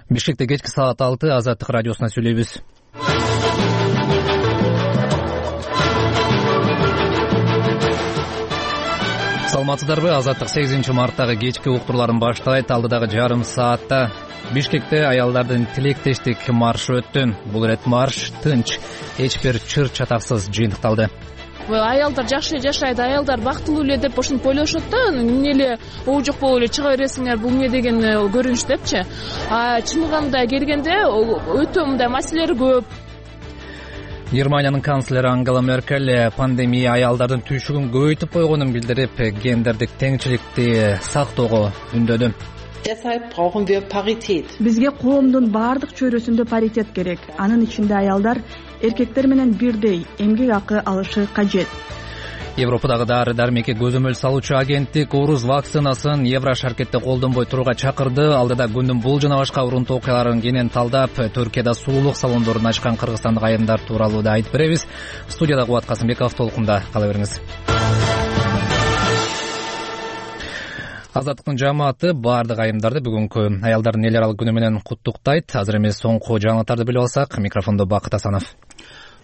Бишкекте кечки саат 6 Азаттык радиосуна сүйлөйбүз. Саламатсыздарбы? Азаттык 8-марттагы кечки уктурларын баштайт. Алдыдагы жарым саатта Бишкекте аялдардын тилектештик маршы өттү. Бул ирет марш тынч, эч бир чыр чатаксыз жыйынтыкталды. Аялдар жакшы жашайт, аялдар бактылуу эле деп ошентип ойлошот да. Эмне эле оо жок болуп эле чыга бересиңер, бул эмне деген көрүнүш депчи. Чыныгында келгенде өтө мындай маселелер көп. Германиянын канцлери Ангела Меркель пандемия аялдардын түйшүгүн көбөйтүп койгонун билдирип, гендердик теңчиликти сактоого үндөдү. Deshalb brauchen wir Parität. Бизге коомдун баардык чөйрөсүндө паритет керек. Анын ичинде аялдар эркектер менен бирдей эмгек акы алышы кажет. Европадагы дары-дармекке көзөмөл салуучу агенттик орус вакцинасын Евро шаркетте колдонбой турууга чакырды. Алдыда күндүн бул жана башка урунтуу окуяларын кенен талдап, Түркияда сулуулук салондорун ачкан кыргызстандык айымдар тууралуу да айтып беребиз. Студияда Кубат Касымбеков, толкунда кала бериңиз. Азаттыктын жамааты баардык айымдарды бүгүнкү аялдардын эл аралык күнү менен куттуктайт. Азыр эмес соңку жаңылыктарды билип алсак, микрофондо Бакыт Асанов.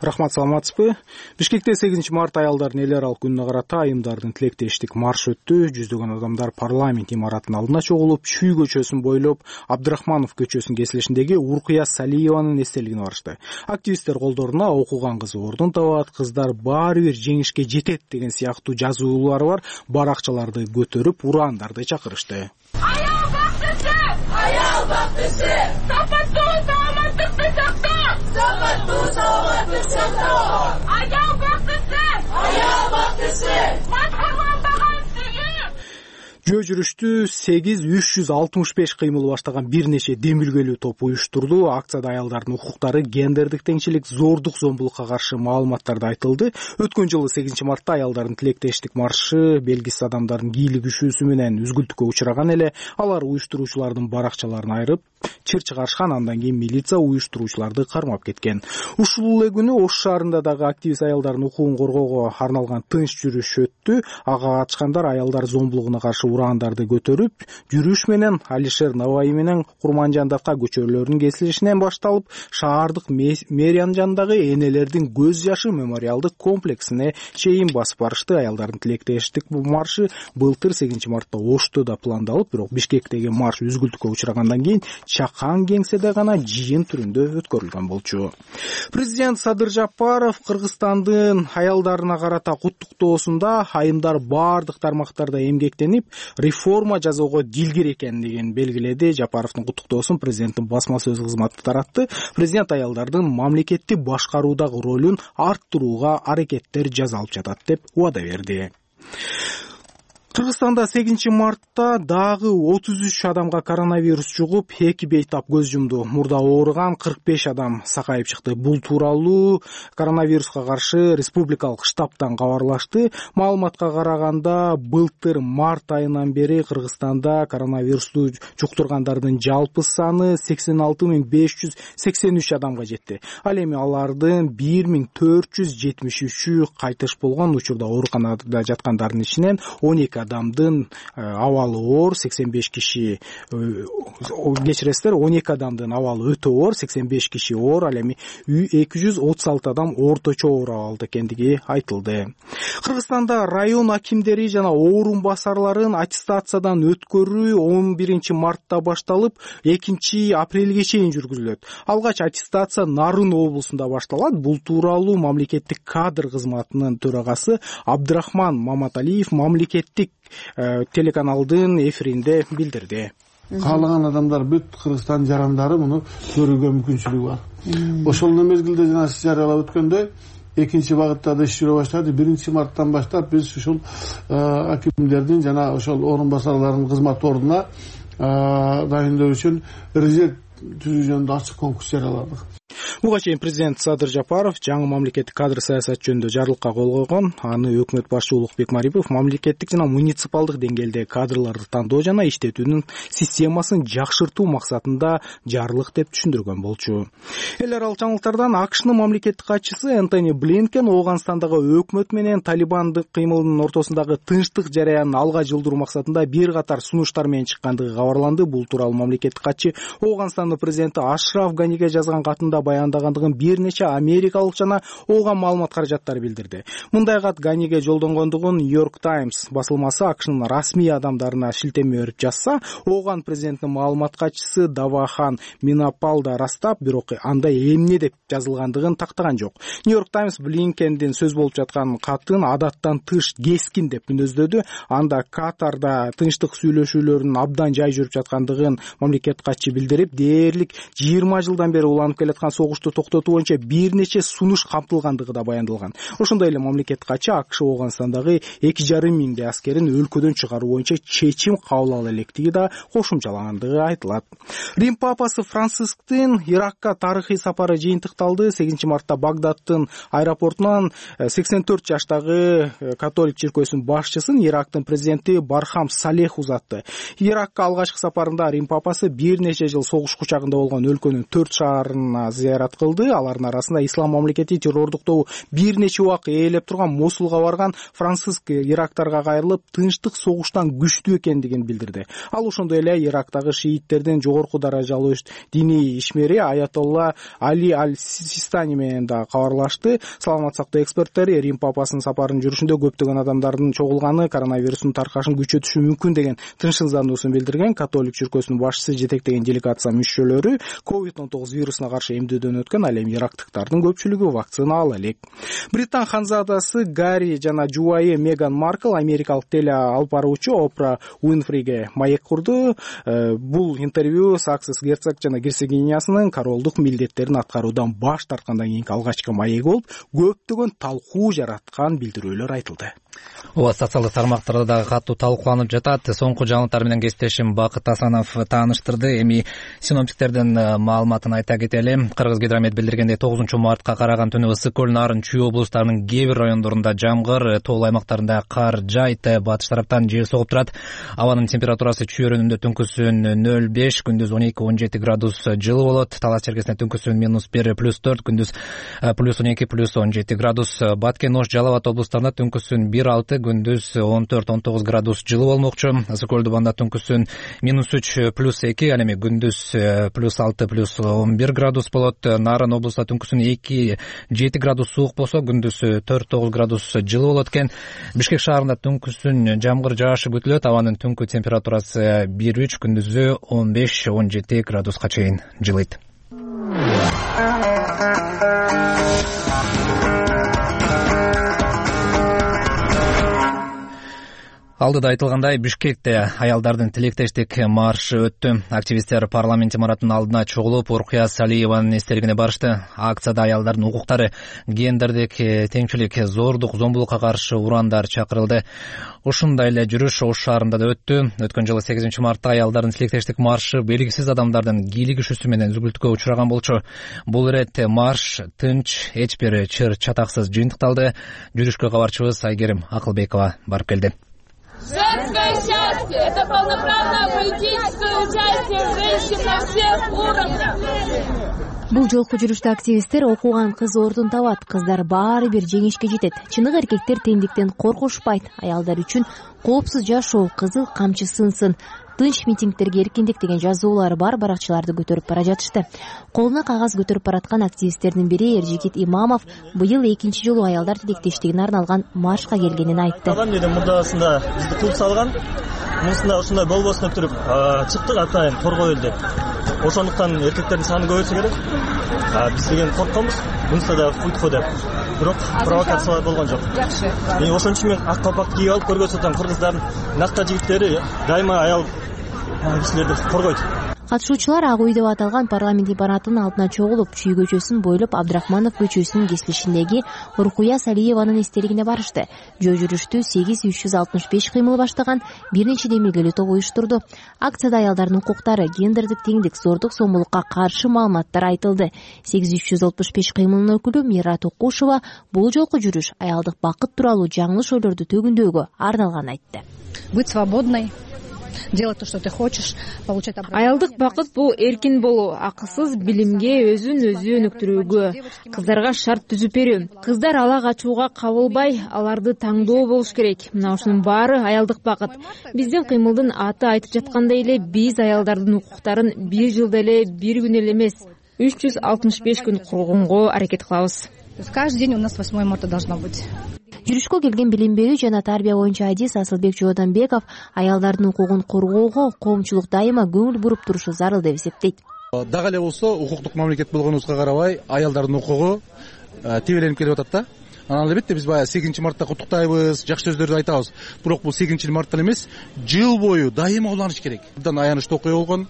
Рахмат, саламатсызбы? Бишкекте 8-март аялдардын эл аралык күнүнө карата айымдардын тилектештик марш өттү. Жүздөгөн адамдар парламент имаратынын алдына чогулуп, Чүй көчөсүн бойлоп, Абдрахманов көчөсүнүн кесилишиндеги Уркуя Салиеванын эстелигине барышты. Активисттер колдоруна окуган кызы ордун табат, кыздар баары бир жеңишке жетет деген сыяктуу жазуулары бар баракчаларды көтөрүп, урандарды чакырышты. Аял бактысы! Аял бактысы! Сапаттуу саламаттыкты сактоо! Сапаттуу саламаттыкты сактоо! Аял бактысы! Аял бактысы! Жөө жүрүштү 8-365 кыймыл баштаган бир нече демилгелүү топ уюштурду. Акцияда аялдардын укуктары, гендердик теңчилик, зордук зомбулукка каршы маалыматтарды айтылды. Өткөн жылы 8-мартта аялдардын тилектештик маршы белгисиз адамдардын кийлигишүүсү менен үзгүлтүккө учураган эле. Алар уюштуруучулардын баракчаларын айырып, чыр чыгарышкан. Андан кийин милиция уюштуруучуларды кармап кеткен. Ушул эле күнү Ош шаарында дагы активист аялдардын укугун коргоого арналган тынч жүрүш өттү. Ага катышкандар аялдар зомбулугуна каршы урандарды көтөрүп, жүрүш менен Алишер Наваи менен Курманжандавка көчөлөрүнүн кесилишинен башталып, шаардык мэриянын жанындагы энелердин көз жашы мемориалдык комплексине чейин басып барышты. Аялдардын тилектештик маршы былтыр 8-мартта Ошто да пландалып, бирок Бишкектеги марш үзгүлтүккө учурагандан кийин чакан кеңседе гана жыйын түрүндө өткөрүлгөн болчу. Президент Садыр Жапаров Кыргызстандын аялдарына карата куттуктоосунда айымдар баардык тармактарда эмгектенип, реформа жасоого дилгир экендигин белгиледи. Жапаровдун куттуктоосун президенттин басма сөз кызматы таратты. Президент аялдардын мамлекетти башкаруудагы ролун арттырууга аракеттер жасалып жатат деп убада берди. Кыргызстанда 8-мартта дагы 33 адамга коронавирус жугуп, 2 бейтап көз жумду. Мурда ооруган 45 адам сакайып чыкты. Бул тууралуу коронавируска каршы республикалык штабтан кабарлашты. Маалыматка караганда, былтыр март айынан бери Кыргызстанда коронавирусту жуктургандардын жалпы саны 86.583 адамга жетти. Ал эми алардын 1473-ü кайтыш болгон. Учурда ооруканада жаткандардын ичинен 12 адамдын абалы оор, 85 киши кечиресиздер, 12 адамдын абалы өтө оор, 85 киши оор, ал эми 236 адам орточо оор абалда экендиги айтылды. Кыргызстанда район акимдери жана орун басарларын аттестациядан өткөрүү 11-мартта башталып, 2-апрелге чейин жүргүзүлөт. Алгач аттестация Нарын облусунда башталат. Бул тууралуу мамлекеттик кадр кызматынын төрагасы Абдрахман Маматалиев мамлекеттик телеканалдын эфиринде билдирди. Каалаган адамдар бүт Кыргызстан жарандары муну көрүүгө мүмкүнчүлүгү бар. Ошол мезгилде жана сиз жарыялап өткөндөй 2-багытта да иш жүрө баштады. 1-марттан баштап биз ушул акимдердин жана ошол орун басарлардын кызмат ордуна дайындоо үчүн резерв түзүү жөнүндө ачык конкурс жарыяладык. Буга чейин президент Садыр Жапаров жаңы мамлекеттик кадр саясат жөнүндө жарлыкка кол койгон. Аны өкмөт башчы Улукбек Марипов мамлекеттик жана муниципалдык деңгээлде кадрларды тандоо жана иштетүүнүн системасын жакшыртуу максатында жарлык деп түшүндүргөн болчу. Эл аралык жаңылыктардан АКШнын мамлекеттик катчысы Энтони Блинкен Ооганстандагы өкмөт менен талибандык кыймылдын ортосундагы тынчтык жараянын алга жылдыруу максатында бир катар сунуштар менен чыккандыгы кабарланды. Бул тууралуу мамлекеттик катчы Ооганстандын президенти Ашраф Ганиге жазган катында баяндагандыгын бир нече америкалык жана Ооган маалымат каражаттары билдирди. Мындай кат Ганиге жолдонгондугун Нью-Йорк Таймс басылмасы АКШнын расмий адамдарына шилтеме берип жазса, Ооган президентинин маалымат катчысы Давахан Минапал да растап, бирок анда эмне деп жазылгандыгын тактаган жок. Нью-Йорк Таймс Блинкендин сөз болуп жаткан катын адаттан тыш кескин деп мүнөздөдү. Анда Катарда тынчтык сүйлөшүүлөрүнүн абдан жай жүрүп жаткандыгын мамлекет катчы билдирип, дээрлик 20 жылдан бери уланып келаткан согушту токтотуу боюнча бир нече сунуш камтылгандыгы да баяндалган. Ошондой эле мамлекет катчы АКШ Ооганстандагы 2,5 миңдей аскерин өлкөдөн чыгаруу боюнча чечим кабыл ала электиги да кошумчалагандыгы айтылат. Рим папасы Францисктин Иракка тарыхый сапары жыйынтыкталды. 8 мартта Багдадтын аэропортунан 84 жаштагы католик чиркөөсүнүн башчысын Ирактын президенти Бархам Салех узатты. Иракка алгачкы сапарында Рим папасы бир нече жыл согуш кучагында болгон өлкөнүн 4 шаарына зыярат кылды. Алардын арасында ислам мамлекети террордуктоо бир нече убак ээлеп турган Мосулга барган. Франциск ирактарга кайрылып, тынчтык согуштан күчтүү экендигин билдирди. Ал ошондой эле Ирактагы шииттердин жогорку даражалуу диний ишмери Аятолла Али Аль-Систани менен да кабарлашты. Саламат сактоо эксперттери Рим папасынын сапарынын жүрүшүндө көптөгөн адамдардын чогулганы коронавирустун таркашын күчөтүшү мүмкүн деген тынчсыздануусун билдирген. Католик чиркөөсүнүн башчысы жетектеген делегация мүчөлөрү COVID-19 вирусуна каршы эмдөөдөн өткөн, ал эми ирактыктардын көпчүлүгү вакцина ала элек. Британ ханзадасы Гарри жана жубайы Меган Маркл америкалык теле алып баруучу Опра Уинфриге маек курду. Бул интервью Саксес герцог жана герцогинясынын королдук милдеттерин аткаруудан баш тарткандан кийинки алгачкы маек болуп, көптөгөн талкуу жараткан билдирүүлөр айтылды. Ооба, социалдык тармактарда дагы катуу талкууланып жатат. Соңку жаңылыктар менен кесиптешим Бакыт Асанов тааныштырды. Эми синоптиктердин маалыматын айта кетели. Кыргызгидромет билдиргендей 9 мартка караган түнү Ысык көл, Нарын, Чүй облустарынын кээ бир райондорунда жамгыр, тоолуу аймактарында кар жайт, батыш тараптан жел согуп турат. Абанын температурасы Чүй өрөөнүндө түнкүсүн 0,5, күндүз 12-17 градус жылы болот. Талас черкесинде түнкүсүн -1, +4, күндүз +12, +17 градус. Баткен, Ош, Жалал Абад облустарында түнкүсүн 1,6, күндүз 14-19 градус жылы болмокчу. Ысык көлдү банда түнкүсүн -3, +2, ал эми күндүз +6, +11 градус болот. Нарын облусту түнкүсүн 2-7 градус суук болсо, күндүз 4-9 градус жылы болот экен. Бишкек шаарында түнкүсүн жамгыр жаашы күтүлөт. Абанын түнкү температурасы 1-3, күндүзү 15-17 градуска чейин жылыйт. Алдыда айтылгандай, Бишкекте аялдардын тилектештик маршы өттү. Активисттер парламент имаратынын алдына чогулуп, Уркуя Салиеванын эстелигине барышты. Акцияда аялдардын укуктары, гендердик теңчилик, зордук, зомбулукка каршы урандар чакырылды. Ушундай эле жүрүш Ош шаарында да өттү. Өткөн жылы 8 мартта аялдардын тилектештик маршы белгисиз адамдардын кийлигишүүсү менен үзгүлтүккө учураган болчу. Бул ирет марш тынч, эч бир чыр чатаксыз жыйынтыкталды. Жүрүшкө кабарчыбыз Айгерим Акылбекова барып келди. Женское счастье – это полноправное политическое участие женщин на всех уровнях. Бул жолку жүрүштө активисттер окуган кыз ордун табат, кыздар баары бир жеңишке жетет. Чыныгы эркектер теңдиктен коркушпайт. Аялдар үчүн коопсуз жашоо, кызыл камчы сынсын, тынч митингдерге эркиндик деген жазуулары бар баракчаларды көтөрүп бара жатышты. Колуна кагаз көтөрүп бараткан активисттердин бири Эржигит Имамов быйыл экинчи жолу аялдар тилектештигине арналган маршка келгенин айтты. Мурдасында бизди кууп салган, мусунда ушундай болбосун деп туруп чыктык, атайын торгой элдик. Ошондуктан эркектердин саны көбөйсө керек. Биз деген коркконбуз, мунуста да уйтку деп. Бирок провокациялар болгон жок. Ошон үчүн мен ак калпак кийип алып көргөзөтөм, кыргыздардын накта жигиттери дайыма аял кишилерди коргойт. Катышуучулар Ак үй деп аталган парламент имаратынын алдына чогулуп, Чүй көчөсүн бойлоп Абдрахманов көчөсүнүн кесилишиндеги Уркуя Салиеванын эстелигине барышты. Жөө жүрүштү 8365 кыймыл баштаган бир нече демилгелүү топ уюштурду. Акцияда аялдардын укуктары, гендердик теңдик, зордук зомбулукка каршы маалыматтар айтылды. 8365 кыймылынын өкүлү Мира Токушева бул жолку жүрүш аялдык бакыт тууралуу жаңылыш ойлорду төгүндөөгө арналганын айтты. Быть свободной, делать то, что ты хочешь, получать образование. Аялдык бакыт бул эркин болуу, акысыз билимге, өзүн өзү өнүктүрүүгө, кыздарга шарт түзүп берүү. Кыздар ала качууга кабылбай, аларды таңдоо болуш керек. Мына ушунун баары аялдык бакыт. Биздин кыймылдын аты айтып жаткандай эле, биз аялдардын укуктарын бир жылда эле, бир күн эле эмес, 365 күн коргонго аракет кылабыз. То есть каждый день у нас 8 марта должно быть. Жүрүшкө келген билим берүү жана тарбия боюнча адис Асылбек Жооданбеков аялдардын укугун коргоого коомчулук дайыма көңүл буруп турушу зарыл деп эсептейт. Дагы эле болсо, укуктук мамлекет болгонубузга карабай, аялдардын укугу тебеленип келип атат да. Анан албетте биз баягы 8 мартта куттуктайбыз, жакшы сөздөрдү айтабыз. Бирок бул 8 марттан эмес, жыл бою дайыма уланыш керек. Абдан аянычтуу окуя болгон,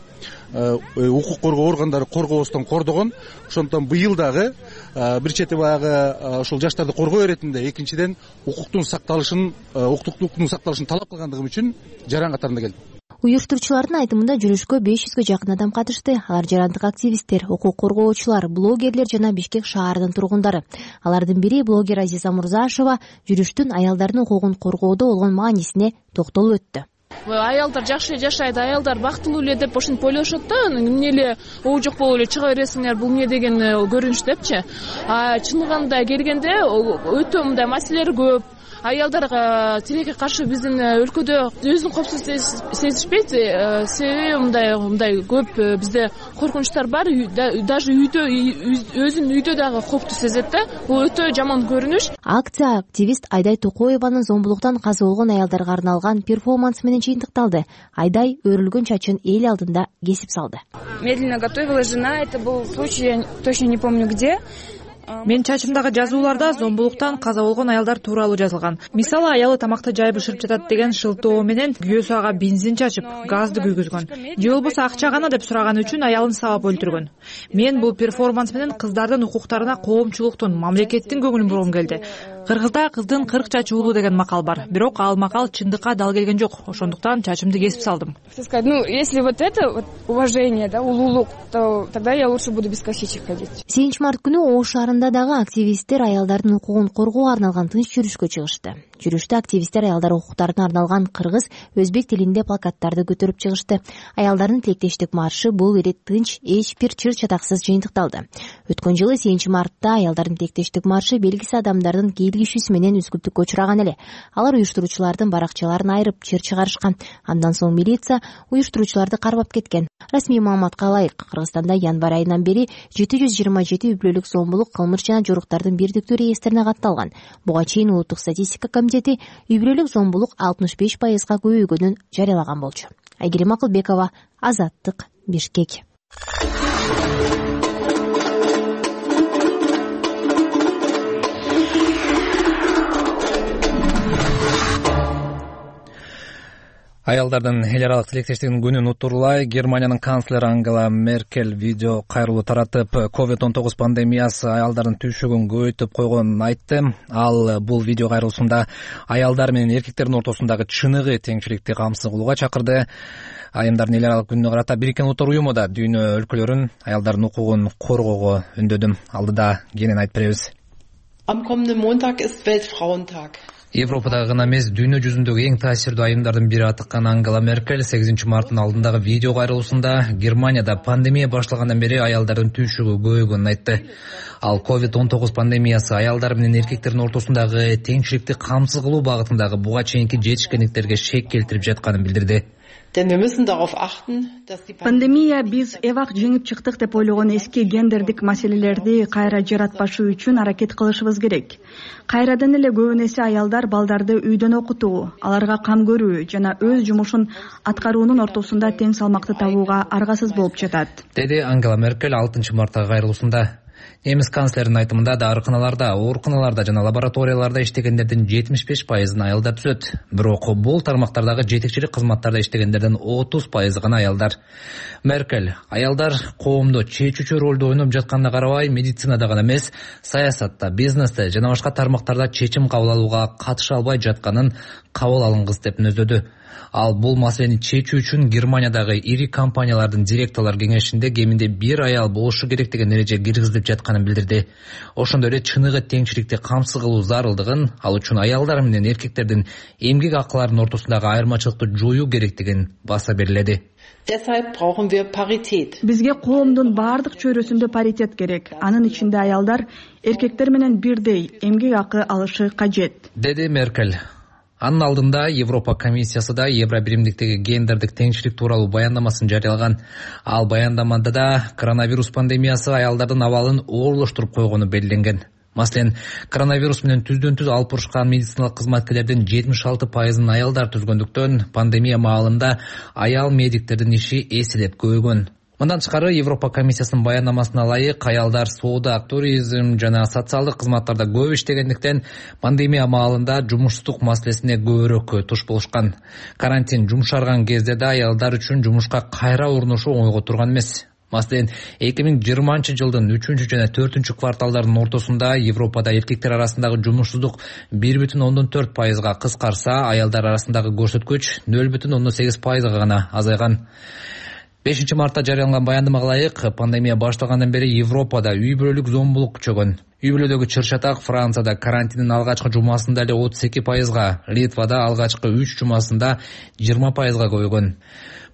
укук коргоо органдары коргобостон кордогон. Ошондуктан быйыл дагы бир чети баягы ушул жаштарды коргоо иретинде, экинчиден укуктун сакталышын талап кылгандыгым үчүн жаран катарында келдим. Уюштуруучулардын айтымында жүрүшкө 500гө жакын адам катышты. Алар жарандык активисттер, укук коргоочулар, блогерлер жана Бишкек шаарынын тургундары. Алардын бири блогер Азиза Мурзашева жүрүштүн аялдардын укугун коргоодо болгон маанисине токтолуп өттү. Аялдар жакшы жашайт, аялдар бактылуу эле деп ошентип ойлошот да. Эмне эле жок болуп эле чыга бересиңер, бул эмне деген көрүнүш депчи. Чыныгында келгенде өтө мындай маселелер көп. Аялдарга тилекке каршы биздин өлкөдө өзүн коопсуз сезишпейт. Себеби мындай көп бизде коркунучтар бар. Даже үйдө өзүнүн үйдө дагы коопту сезет да. Бул өтө жаман көрүнүш. Акция активист Айдай Токоеванын зомбулуктан каза болгон аялдарга арналган перформанс менен жыйынтыкталды. Айдай өрүлгөн чачын эл алдында кесип салды. Медленно готовила жена, это был случай, я точно не помню где. Мен чачымдагы жазууларда зомбулуктан каза болгон аялдар тууралуу жазылган. Мисалы, аялы тамакты жайып бышырып жатат деген шылтоо менен күйөөсү ага бензин чачып, газды күйгүзгөн. Же болбосо акча гана деп сураганы үчүн аялын сабап өлтүргөн. Мен бул перформанс менен кыздардын укуктарына коомчулуктун, мамлекеттин көңүлүн бургум келди. Кыргызда кыздын 40 чачы уулуу деген макал бар. Бирок ал макал чындыкка дал келген жок. Ошондуктан чачымды кесип салдым. Если вот это уважение, да, улуулук, то тогда я лучше буду без косичек ходить. 7 март күнү Ош шаарында дагы активисттер аялдардын укугун коргоого арналган тынч жүрүшкө чыгышты. Жүрүштө активисттер аялдар укуктарына арналган кыргыз, өзбек тилинде плакаттарды көтөрүп чыгышты. Аялдардын тилектештик маршы бул ирет тынч, эч бир чыр чатаксыз жыйынтыкталды. Өткөн жылы 7 мартта аялдардын тилектештик маршы белгисиз адамдардын кийлигишүүсү менен үзгүлтүккө учураган эле. Алар уюштуруучулардын баракчаларын айырып, чыр чыгарышкан. Андан соң милиция уюштуруучуларды кармап кеткен. Расмий маалыматка ылайык, Кыргызстанда январь айынан бери 727 үй бүлөлүк зомбулук, кылмыш жана жоруктардын бирдиктүү реестрине катталган. Буга чейин улуттук статистика комитети үй бүлөлүк зомбулук 65%га көбөйгөнүн жарыялаган болчу. Айгерим Акылбекова, Азаттык, Бишкек. Аялдардын эл аралык тилектештигинин күнүн утурлай Германиянын канцлери Ангела Меркель видео кайрылуу таратып, COVID-19 пандемиясы аялдардын түйшүгүн көбөйтүп койгонун айтты. Ал бул видео кайрылуусунда аялдар менен эркектердин ортосундагы чыныгы теңчиликти камсыз кылууга чакырды. Айымдардын эл аралык күнүнө карата Бириккен Улуттар уюму да дүйнө өлкөлөрүн аялдардын укугун коргоого үндөдү. Алдыда кенен айтып беребиз. Am kommenden Montag ist Weltfrauentag. Европадагы гана эмес, дүйнө жүзүндөгү эң таасирдүү айымдардын бири атыккан Ангела Меркель 8 марттын алдындагы видео кайрылуусунда Германияда пандемия башталгандан бери аялдардын түйшүгү көбөйгөнүн айтты. Ал COVID-19 пандемиясы аялдар менен эркектердин ортосундагы теңчиликти камсыз кылуу багытындагы буга чейинки жетишкендиктерге шек келтирип жатканын билдирди. Пандемия биз эвак жеңип чыктык деп ойлогон эски гендердик маселелерди кайра жаратпашы үчүн аракет кылышыбыз керек. Кайрадан эле көбүн эсе аялдар балдарды үйдөн окутуу, аларга кам көрүү жана өз жумушун аткаруунун ортосунда тең салмакты табууга аргасыз болуп жатат, деди Ангела Меркель 6 марттагы кайрылуусунда. Немис канцлеринин айтымында дарыканаларда, ооруканаларда жана лабораторияларда иштегендердин 75% аялдар түзөт. Бирок бул тармактардагы жетекчилик кызматтарда иштегендердин 30% гана аялдар. Меркель аялдар коомдо чечүүчү ролду ойноп жатканына карабай, медицинада гана эмес, саясатта, бизнесте жана башка тармактарда чечим кабыл алууга катыша албай жатканын кабыл алынгыс деп мүнөздөдү. Ал бул маселени чечүү үчүн Германиядагы ири компаниялардын директорлор кеңешинде кеминде бир аял болушу керек деген эреже киргизилип жатканын билдирди. Ошондой эле чыныгы теңчиликти камсыз кылуу зарылдыгын, ал үчүн аялдар менен эркектердин эмгек акыларынын ортосундагы айырмачылыкты жоюу керектигин баса бериледи. Deshalb brauchen wir Parität. Бизге коомдун бардык чөйрөсүндө паритет керек. Анын ичинде аялдар эркектер менен бирдей эмгек акы алышы кажет, деди Меркель. Анын алдында Европа комиссиясы да Евробиримдиктеги гендердик теңчилик тууралуу баяндамасын жарыялаган. Ал баяндамада да коронавирус пандемиясы аялдардын абалын оорлоштуруп койгону белгиленген. Маселен, коронавирус менен түздөн-түз алып урушкан медициналык кызматкерлердин 76% аялдар түзгөндүктөн пандемия маалында аял медиктердин иши эселеп көбөйгөн. Мындан тышкары Европа комиссиясынын баяндамасына ылайык аялдар соода, туризм жана социалдык кызматтарда көп иштегендиктен пандемия маалында жумушсуздук маселесине көбүрөөк туш болушкан. Карантин жумшарган кезде да аялдар үчүн жумушка кайра орношуу оңойго турган эмес. Маселен, 2020-жылдын 3 жана 4 кварталдарынын ортосунда Европада эркектер арасындагы жумушсуздук 1,4%га кыскарса, аялдар арасындагы көрсөткүч 0,8%га гана азайган. 5 мартта жарыяланган баяндамага ылайык, пандемия башталгандан бери Европада үй бүлөлүк зомбулук күчөгөн. Үй бүлөдөгү чыр-чатак Францияда карантиндин алгачкы жумасында эле 32%га, Литвада алгачкы 3 жумасында 20%га көбөйгөн.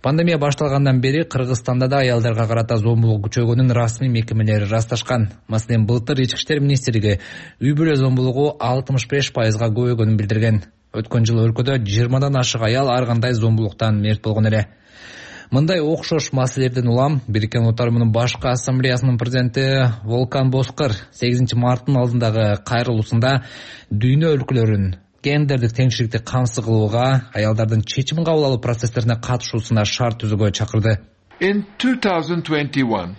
Пандемия башталгандан бери Кыргызстанда да аялдарга карата зомбулук күчөгөнүн расмий мекемелери ырасташкан. Маселен, былтыр Ички иштер министрлиги үй бүлө зомбулугу 65%га көбөйгөнүн билдирген. Өткөн жылы өлкөдө 20дан ашык аял ар кандай зомбулуктан мерт болгон эле. Мындай окшош маселелерден улам Бириккен Улуттар Уюмунун башкы ассамблеясынын президенти Волкан Боскор 8 марттын алдындагы кайрылуусунда дүйнө өлкөлөрүн гендердик теңчиликти камсыз кылууга, аялдардын чечим кабыл алуу процесстерине катышуусуна шарт түзүүгө чакырды. In 2021,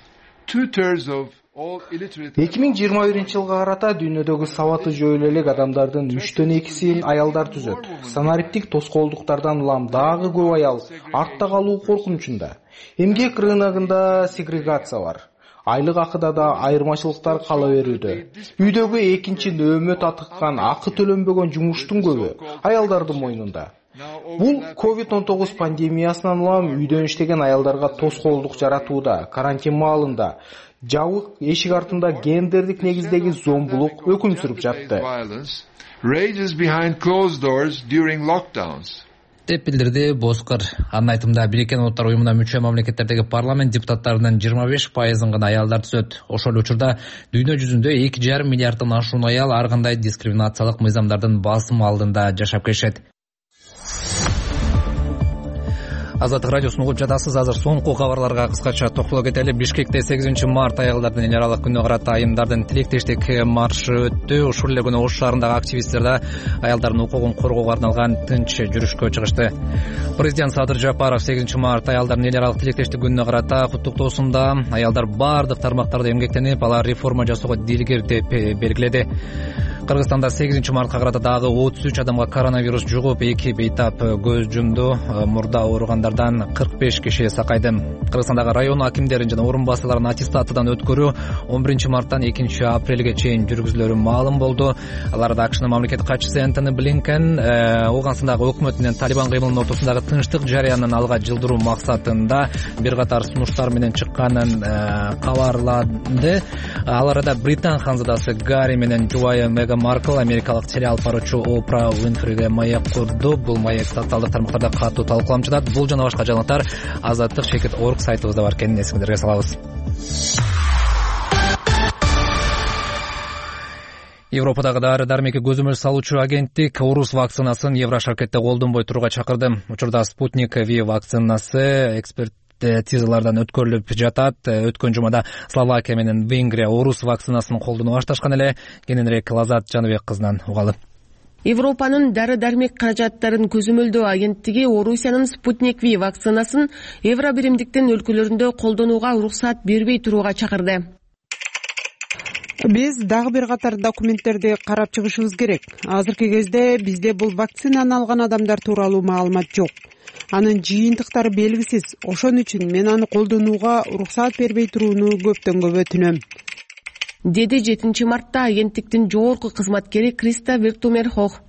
2/3 of 2021-жылга карата дүйнөдөгү сабаты жөө элек адамдардын 3/2 аялдар түзөт. Санариптик тоскоолдуктардан улам дагы көп аял артта калуу коркунучунда. Эмгек рыногунда сегрегация бар. Айлык акыда да айырмачылыктар кала берүүдө. Үйдөгү экинчи нөөмө татыккан, акы төлөнбөгөн жумуштун көбү аялдардын мойнунда. Бул COVID-19 пандемиясынан улам үйдөн иштеген аялдарга тоскоолдук жаратууда. Карантин маалында жабык эшик артында гендердик негиздеги зомбулук өкүм сүрүп жатты, деп билдирди Боскор. Анын айтымында Бириккен Улуттар Уюмуна мүчө мамлекеттердеги парламент депутаттарынын 25%-ын гана аялдар түзөт. Ошол учурда дүйнө жүзүндө 2,5 миллиарддан ашуун аял ар кандай дискриминациялык мыйзамдардын басым алдында жашап келишет. Азаттык радиосун угуп жатасыз. Азыр соңку кабарларга кыскача токтоло кетели. Бишкекте 8 март аялдардын эл аралык күнүнө карата айымдардын тилектештик маршы өттү. Ушул эле күнү Ош шаарындагы активисттер да аялдардын укугун коргоого арналган тынч жүрүшкө чыгышты. Президент Садыр Жапаров 8 март аялдардын эл аралык тилектештик күнүнө карата куттуктоосунда аялдар бардык тармактарда эмгектенип, алар реформа жасоого дилгер деп белгиледи. Кыргызстанда 8 мартка карата дагы 33 адамга коронавирус жугуп, 2 бейтап көз жумду. Мурда ооругандардан 45 киши сакайды. Кыргызстандагы район акимдерин жана орун басууларын аттестатыдан өткөрүү 11 марттан 2 апрелге чейин жүргүзүлөрү маалым болду. Аларда АКШнын мамлекеттик катчысы Энтони Блинкен Ооганстандагы өкмөт менен Талибан кыймылынын ортосундагы тынчтык жарыянын алга жылдыруу максатында бир катар сунуштар менен чыкканын кабарлады. Ал арада Британ ханзадасы Гарри менен жубайы Меган Маркл америкалык телеалп баруучу Опра Уинфриге маек курду. Бул маек социалдык тармактарда катуу талкууланып жатат. Бул жана башка жаңылыктар Азаттык.org сайтыбызда бар экенин эсиңиздерге салабыз. Европадагы дары-дармекке көзөмөл салуучу агенттик орус вакцинасын Еврошаркетте колдонбой турууга чакырды. Учурда Спутник V вакцинасы экспертизалардан өткөрүлүп жатат. Өткөн жумада Словакия менен Венгрия орус вакцинасын колдонууга башташкан эле. Кененирээк Лазат Жаныбек кызынан угалы. Европанын дары-дармек каражаттарын көзөмөлдөө агенттиги Орусиянын Спутник V вакцинасын Евробиримдиктин өлкөлөрүндө колдонууга уруксат бербей турууга чакырды. Биз дагы бир катар документтерди карап чыгышыбыз керек. Азыркы кезде бизде бул вакцинаны алган адамдар тууралуу маалымат жок. Анын жыйынтыктары белгисиз. Ошон үчүн мен аны колдонууга уруксаат бербей турууну көптөн көп өтүнөм, деди 7 мартта агенттиктин жогорку кызматкери Криста Вертумерхох.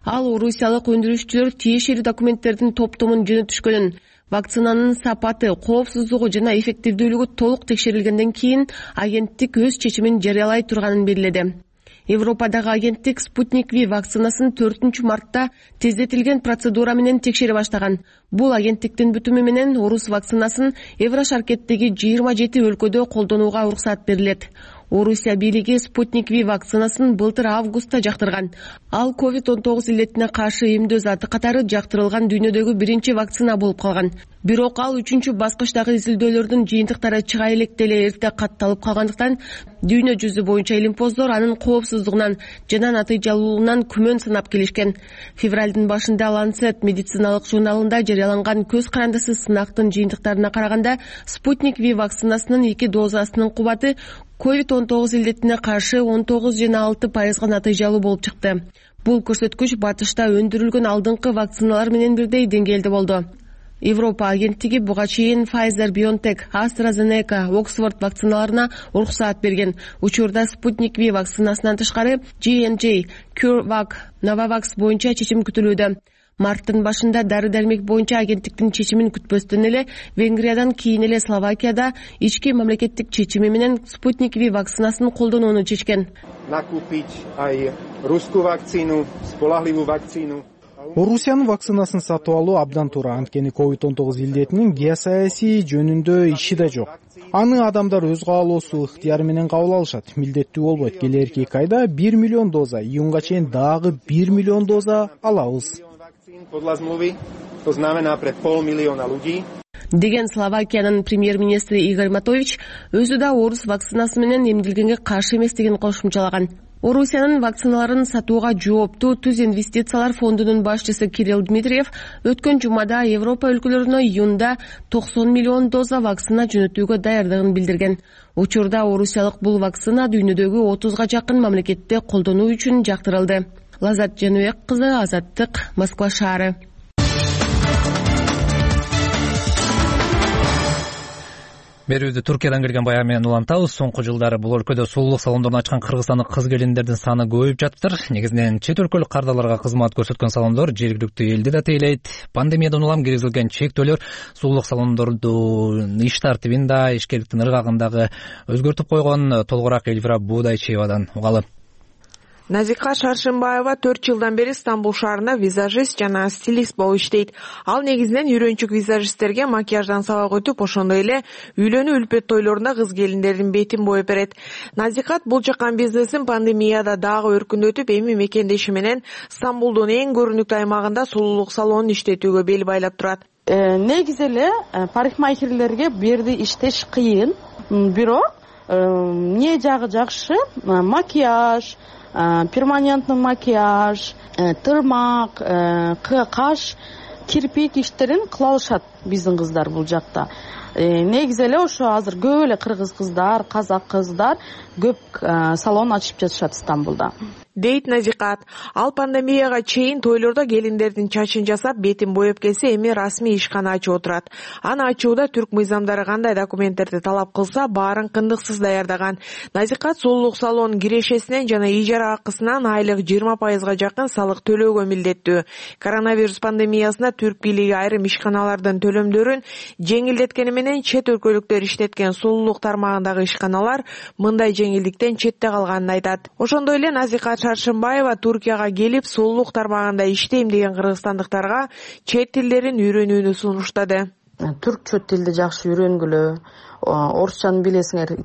Ал орусиялык өндүрүүчүлөр тиешелүү документтердин топтомун жөнөтүшкөнүн, вакцинанын сапаты, коопсуздугу жана эффективдүүлүгү толук текшерилгенден кийин агенттик өз чечимин жарыялай турганын белгиледи. Европадагы агенттик Спутник V вакцинасын 4 мартта тездетилген процедура менен текшере баштаган. Бул агенттиктин бүтүмү менен орус вакцинасын Еврошаркеттеги 27 өлкөдө колдонууга уруксаат берилет. Орусия бийлиги Спутник V вакцинасын былтыр августта жактырган. Ал COVID-19 илетине каршы эмдөө заты катары жактырылган дүйнөдөгү биринчи вакцина болуп калган. Бирок ал 3 баскычтагы изилдөөлөрдүн жыйынтыктары чыга электе эле эрте катталып калгандыктан дүйнө жүзү боюнча илимпоздор анын коопсуздугунан жана натыйжалуулугунан күмөн санап келишкен. Февралдын башында Lancet медициналык журналында жарыяланган көз карандысыз сынактын жыйынтыктарына караганда Спутник V вакцинасынын 2 дозасынын кубаты COVID-19 илетине каршы 19,6% натыйжалуу болуп чыкты. Бул көрсөткүч батышта өндүрүлгөн алдыңкы вакциналар менен бирдей деңгээлде болду. Европа агенттиги буга чейин Pfizer, BioNTech, AstraZeneca, Oxford вакциналарына уруксаат берген. Учурда Спутник V вакцинасынан тышкары J&J, CureVac, Novavax боюнча чечим күтүлүүдө. Марттын башында дары-дармек боюнча агенттиктин чечимин күтпөстөн эле Венгриядан кийин эле Словакияда ички мамлекеттик чечими менен Спутник V вакцинасын колдонууну чечкен. Накупить ай русскую вакцину, сполахливую вакцину. Орусиянын вакцинасын сатып алуу абдан туура, анткени COVID-19 илдетинин геосаясий жөнүндө иши да жок. Аны адамдар өз каалоосу, ыктыяры менен кабыл алышат. Милдеттүү болбойт. Келерки 2 айда 1 миллион доза, июнга чейин дагы 1 миллион доза алабыз. Деген Словакиянын премьер-министри Игорь Матович өзү да орус вакцинасы менен эмдилгенге каршы эместигин кошумчалаган. Орусиянын вакциналарын сатууга жооптуу Түз инвестициялар фондунун башчысы Кирилл Дмитриев өткөн жумада Европа өлкөлөрүнө июнда 90 миллион доза вакцина жөнөтүүгө даярдыгын билдирген. Учурда орусиялык бул вакцина дүйнөдөгү 30га жакын мамлекетте колдонуу үчүн жактырылды. Лазат Жаныбек кызы, Азаттык, Москва шаары. Берүүбүздү Туркиядан келген баян менен улантабыз. Соңку жылдары бул өлкөдө сулуулук салондорун ачкан кыргызстандык кыз келиндердин саны көбөйүп жатыптыр. Негизинен чет өлкөлүк кардарларга кызмат көрсөткөн салондор жергиликтүү элди да тейлейт. Пандемиядан улам киргизилген чектөөлөр сулуулук салондордун иш тартибин да, ишкерликтин ыргагын дагы өзгөртүп койгон. Толугураак Эльвира Буудайчиевадан угалы. Назика Шаршымбаева 4 жылдан бери Стамбул шаарында визажист жана стилист болуп иштейт. Ал негизинен үйрөнчүк визажисттерге макияждан сабак өтүп, ошондой эле үйлөнүү үлпөт тойлорунда кыз келиндердин бетин боеп берет. Назикат бул жаккан бизнесин пандемияда дагы өркүндөтүп, эми мекендеши менен Стамбулдун эң көрүнүктүү аймагында сулуулук салонун иштетүүгө бел байлап турат. Негизи эле парикмахерлерге бу жерде иштеш кыйын, бирок эмне жагы жакшы, макияж, перманентный макияж, тырмак, каш, кирпик иштерин кыла алышат биздин кыздар бул жакта. Негизи эле ошо азыр көп эле кыргыз кыздар, казак кыздар көп салон ачып жатышат Стамбулда. Дейт Назикат. Ал пандемияга чейин тойлордо келиндердин чачын жасап, бетин боеп келсе, эми расмий ишкана ачып отурат. Аны ачууда түрк мыйзамдары кандай документтерди талап кылса, баарын кындыксыз даярдаган. Назикат сулуулук салонунун кирешесинен жана ижара акысынан айлык 20%га жакын салык төлөөгө милдеттүү. Коронавирус пандемиясында түрк бийлиги айрым ишканалардын төлөмдөрүн жеңилдеткени менен чет өлкөлүктөр иштеткен сулуулук тармагындагы ишканалар мындай жеңилдиктен четте калганын айтат. Ошондой эле Назикат Шаршымбаева Туркияга келип, сулуулук тармагында иштейм деген кыргызстандыктарга чет тилдерин үйрөнүүнү сунуштады. Түркчө тилди жакшы үйрөнгүлө, орусчаны билесиңер,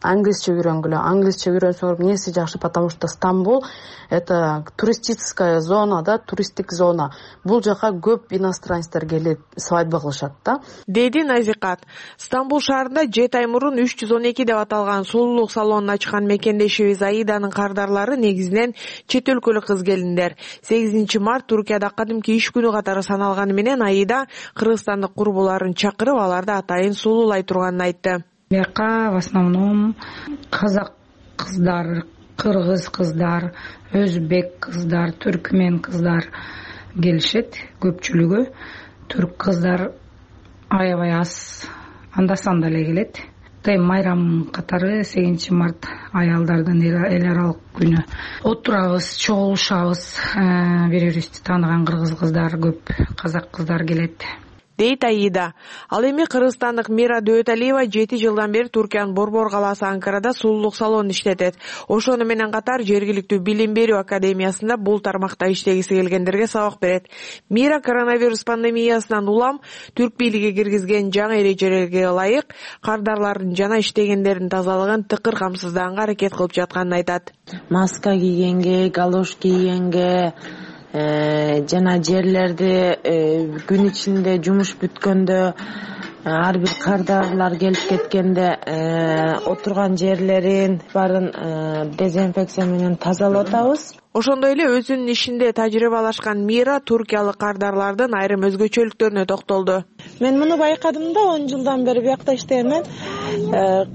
англисче үйрөнгүлө. Англисче үйрөнсөңөр эмнеси жакшы, потому что Стамбул это туристическая зона, да, туристик зона. Бул жака көп иностранецтер келип свадьба кылышат да. Деди Назикат. Стамбул шаарында 7 ай мурун 312 деп аталган сулуулук салонун ачкан мекендешибиз Аиданын кардарлары негизинен чет өлкөлүк кыз келиндер. 8 март Туркияда кадимки иш күнү катары саналганы менен Аида кыргызстандык курбуларын чакырып, аларды атайын сулуулай турганын айтты. Бияка в основном казак кыздар, кыргыз кыздар, өзбек кыздар, түркмен кыздар келишет. Көпчүлүгү түрк кыздар аябай аз, анда санда эле келет. Майрам катары 8 март аялдардын эл аралык күнү. Отурабыз, чогулушабыз, бири бирибизди тааныган кыргыз кыздар көп, казак кыздар келет, дейт Аида. Ал эми кыргызстандык Мира Дөталиева 7 жылдан бери Туркиянын Борбор калаасы Анкарада сулуулук салонун иштетет. Ошону менен катар жергиликтүү билим берүү академиясында бул тармакта иштегиси келгендерге сабак берет. Мира коронавирус пандемиясынан улам түрк бийлиги киргизген жаңы эрежелерге ылайык кардарлардын жана иштегендердин тазалыгын тыкыр камсыздаганга аракет кылып жатканын айтат. Маска кийгенге, галош кийгенге, жана жерлерди күн ичинде жумуш бүткөндө, ар бир кардарлар келип кеткенде отурган жерлерин баарын дезинфекция менен тазалап атабыз. Ошондой эле өзүнүн ишинде тажрыйбалашкан Мира туркиялык кардарлардын айрым өзгөчөлүктөрүнө токтолду. Мен муну байкадым да, 10 жылдан бери биякта иштейм.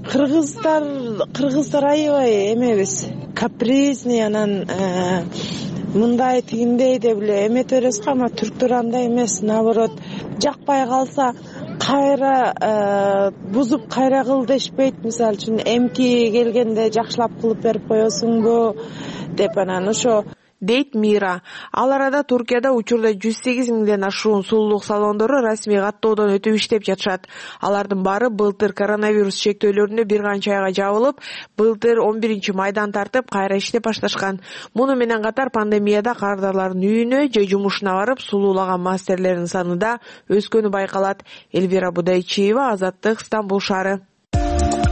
Кыргыздар аябай эмебиз, капризный, анан мындай тигиндей деп эле эмете беребиз, ама түрктөр андай эмес, наоборот, жакпай калса кайра бузуп кайра кыл дешпейт. Мисалы үчүн эмки келгенде жакшылап кылып берип коесуңбу деп, анан ошо дейт Мира. Ал арада Туркияда учурда 108 миңден ашуун сулуулук салондору расмий каттоодон өтүп иштеп жатышат. Алардын баары былтыр коронавирус чектөөлөрүнө бир канча айга жабылып, былтыр 11 майдан тартып кайра иштеп башташкан. Муну менен катар пандемияда кардарлардын үйүнө же жумушуна барып сулуулаган мастерлердин саны да өскөнү байкалат. Элвира Будайчиева, Азаттык, Стамбул шаары.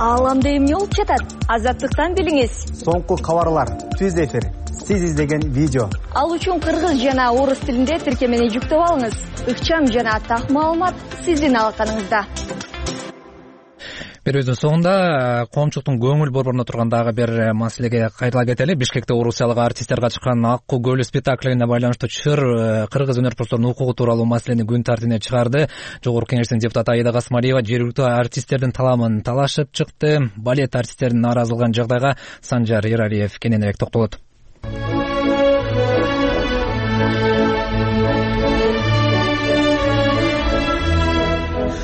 Ааламда эмне болуп жатат? Азаттыктан билиңиз. Соңку кабарлар, түз эфир, сиз издеген видео. Ал үчүн кыргыз жана орус тилинде тиркемени жүктөп алыңыз. Ыкчам жана так маалымат сиздин алаканыңызда. Берүүбүздүн соңунда коомчулуктун көңүл борборуна турган дагы бир маселеге кайрыла кетели. Бишкекте орусиялык артисттер катышкан Аккуу көлү спектаклине байланыштуу чыр кыргыз өнөрпоздорунун укугу тууралуу маселени күн тартибине чыгарды. Жогорку Кеңештин депутаты Аида Касмалиева жергиликтүү артисттердин таламын талашып чыкты. Балет артисттеринин нааразылыгын жагдайга Санжар Эралиев кененирээк токтолот.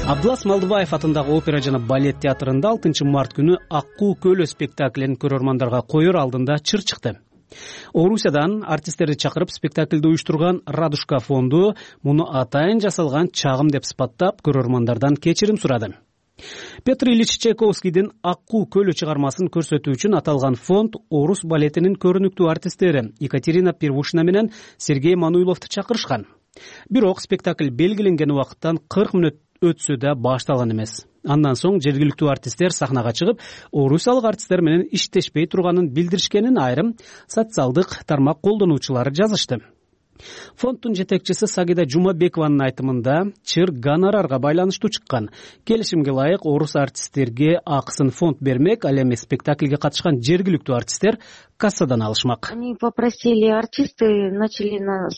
Абдылас Малдыбаев атындагы опера жана балет театрында 6 март күнү Аккуу көлү спектаклин көрөрмандарга коёр алдында чыр чыкты. Орусиядан артисттерди чакырып спектакльди уюштурган Радушка фонду муну атайын жасалган чагым деп сыпаттап көрөрмандардан кечирим сурады. Петр Ильич Чайковскийдин Аккуу көлү чыгармасын көрсөтүү үчүн аталган фонд орус балетинин көрүнүктүү артисттери Екатерина Первушина менен Сергей Мануиловду чакырышкан. Бирок спектакль белгиленген убакыттан 40 мүнөт өтсө да башталган эмес. Андан соң жергиликтүү артисттер сахнага чыгып, орусиялык артисттер менен иштешпей турганын билдиришкенин айрым социалдык тармак колдонуучулары жазышты. Фонддун жетекчиси Сагида Жумабекованын айтымында чыр гонорарга байланыштуу чыккан. Келишимге ылайык орус артисттерге акысын фонд бермек, ал эми спектакльге катышкан жергиликтүү артисттер кассадан алышмак.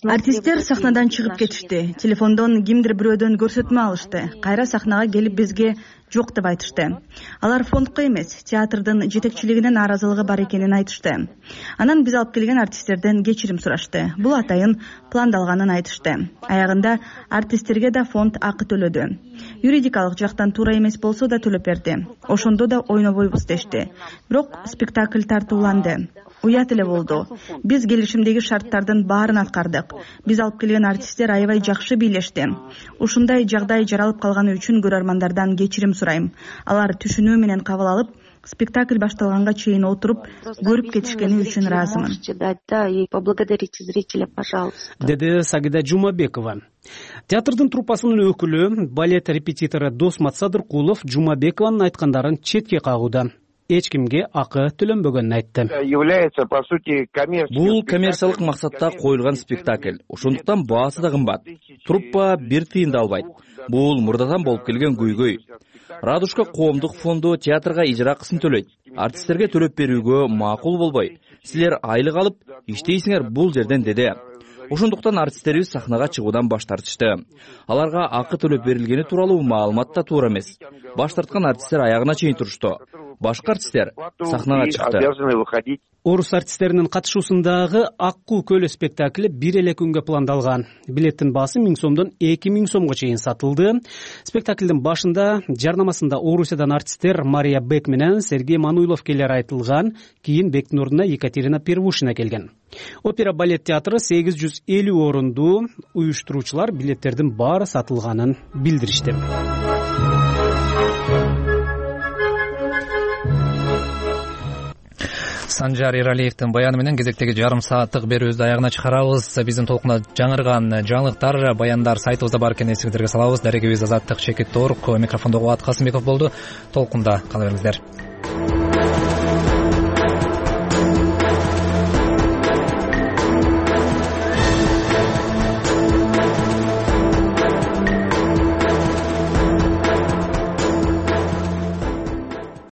Артисттер сахнадан чыгып кетишти. Телефондон кимдир бирөөдөн көрсөтмө алышты. Кайра сахнага келип бизге жок деп айтышты. Алар фондко эмес, театрдын жетекчилигинин нааразылыгы бар экенин айтышты. Анан биз алып келген артисттерден кечирим сурашты. Бул атайын пландалганын айтышты. Аягында артисттерге да фонд акы төлөдү. Юридикалык жактан туура эмес болсо да төлөп берди. Ошондо да ойнобойбуз дешти. Бирок спектакль тартууланды. Уят эле болду. Биз келишимдеги шарттардын баарын аткардык. Биз алып келген артисттер аябай жакшы бийлешти. Ушундай жагдай жаралып калганы үчүн көрөрмандардан кечирим сурайм. Алар түшүнүү менен кабыл алып, спектакль башталганга чейин отуруп, көрүп кетишкени үчүн ыраазымын. Деди Сагида Жумабекова. Театрдын труппасынын өкүлү, балет репетитору Досмат Садыркулов Жумабекованын айткандарын четке кагууда. Эч кимге акы төлөнбөгөнүн айтты. Бул коммерциялык максатта коюлган спектакль. Ошондуктан баасы да кымбат. Труппа бир тыйын да албайт. Бул мурдадан болуп келген көйгөй. Радушка коомдук фонду театрга ижра акысын төлөйт. Артисттерге төлөп берүүгө макул болбой. Силер айлык алып иштейсиңер бул жерден, деди. Ошондуктан артисттерибиз сахнага чыгуудан баш тартышты. Аларга акы төлөп берилгени тууралуу маалымат да туура эмес. Баш тарткан артисттер аягына чейин турушту. башка артисттер сахнага чыкты. Орус артисттеринин катышуусундагы Ак Куу көлү спектакли бир эле күнгө пландалган. Билеттин баасы 1000 сомдон 2000 сомго чейин сатылды. Спектаклдин башында жарнамасында Орусиядан артисттер Мария Бек менен Сергей Мануилов келери айтылган, кийин Бектин ордуна Екатерина Первушина келген. Опера балет театры 850 орунду, уюштуруучулар билеттердин баары сатылганын билдиришти. Санжар Эралиевдин баяны менен кезектеги жарым сааттык берүүбүздү аягына чыгарабыз. Биздин толкунда жаңырган жаңылыктар, баяндар сайтыбызда бар экен, эсиңиздерге салабыз. Дарегибиз Азаттык Чекит Торк, микрофондо Кубат Касымбеков болду. Толкунда кала бериңиздер.